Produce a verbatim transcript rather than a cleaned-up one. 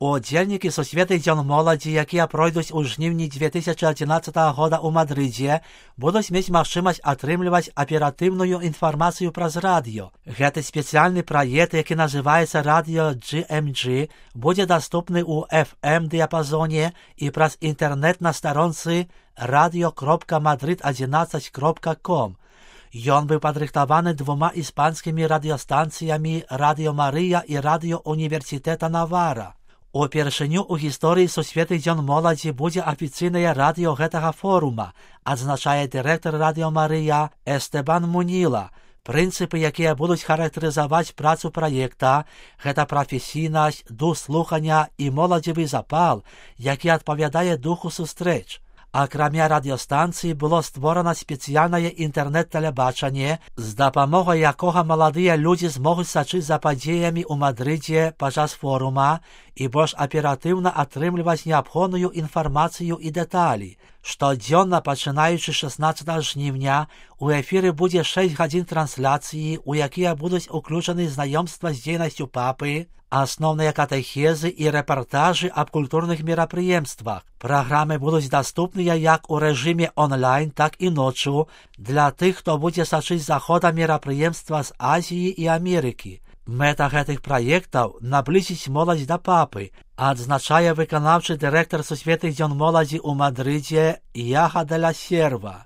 Удзельнікі Сусветных дзён моладзі, якія пройдуць у жніўні две тысячы адзінаццатага года ў Мадрыдзе, будуць мець магчымасць атрымліваць аператыўную інфармацыю праз радыё. Гэты спецыяльны праект, які называецца радыё джи эм джи, будзе даступны ў эф эм дыяпазоне і праз інтэрнэт на старонцы радыё кропка мадрид адзінаццаць кропка ком. Ён быў падрыхтаваны двума іспанскімі радыёстанцыямі Радыё Марыя і Радыё Універсітэта Навара. Упершыню ў гісторыі Сусветных дзён моладзі будзе афіцыйнае радыё гэтага форума, адзначае дырэктар Радыё Марыя Эстебан Муніла. Прынцыпы, якія будуць характарызаваць працу праекта, гэта прафесійнасць, дух слухання і моладзевы запал, які адпавядае духу сустрэч. Акрамя радыёстанцыі было створана спецыяльнае інтэрнэт-тэлебачанне, з дапамогай якога маладыя людзі змогуць сачыць за падзеямі ў Мадрыдзе падчас форума і больш аператыўна атрымліваць неабходную інфармацыю і дэталі. Штодзённа, пачынаючы шаснаццатага жніўня, у эфіры будзе шэсць гадзін трансляцыі, у якія будуць уключаны знаёмства з дзейнасцю папы, асноўныя катэхезы і рэпартажы аб культурных мерапрыемствах. Праграмы будуць даступныя як у рэжыме онлайн, так і ноччу для тых, хто будзе сачыць за ходам мерапрыемства з Азіі і Амерыкі. Мэта гэтых праектаў наблізіць моладзь да папы, адзначае выканаўчы дырэктар Сусветных дзён моладзі ў Мадрыдзе Яха де ла Серва.